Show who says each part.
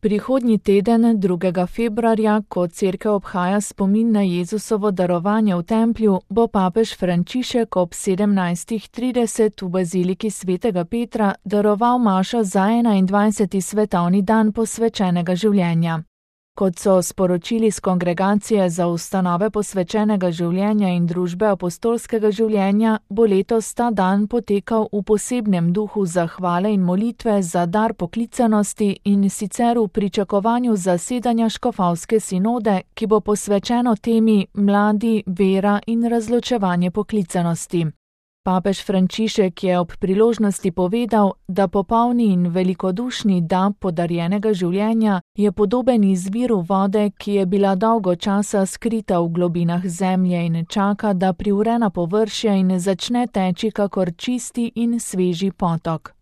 Speaker 1: Prihodnji teden, 2. februarja, ko cerkev obhaja spomin na Jezusovo darovanje v templju, bo papež Frančišek ob 17:30 v baziliki svetega Petra daroval mašo za 21. svetovni dan posvečenega življenja. Kot so sporočili z Kongregacije za ustanove posvečenega življenja in družbe apostolskega življenja, bo letos ta dan potekal v posebnem duhu zahvale in molitve za dar poklicanosti in sicer v pričakovanju zasedanja škofovske sinode, ki bo posvečeno temi Mladi, vera in razločevanje poklicanosti. Papež Frančišek je ob priložnosti povedal, da popolni in velikodušni dar podarjenega življenja je podoben izviru vode, ki je bila dolgo časa skrita v globinah zemlje in čaka, da privre na površje in začne teči kakor čisti in sveži potok.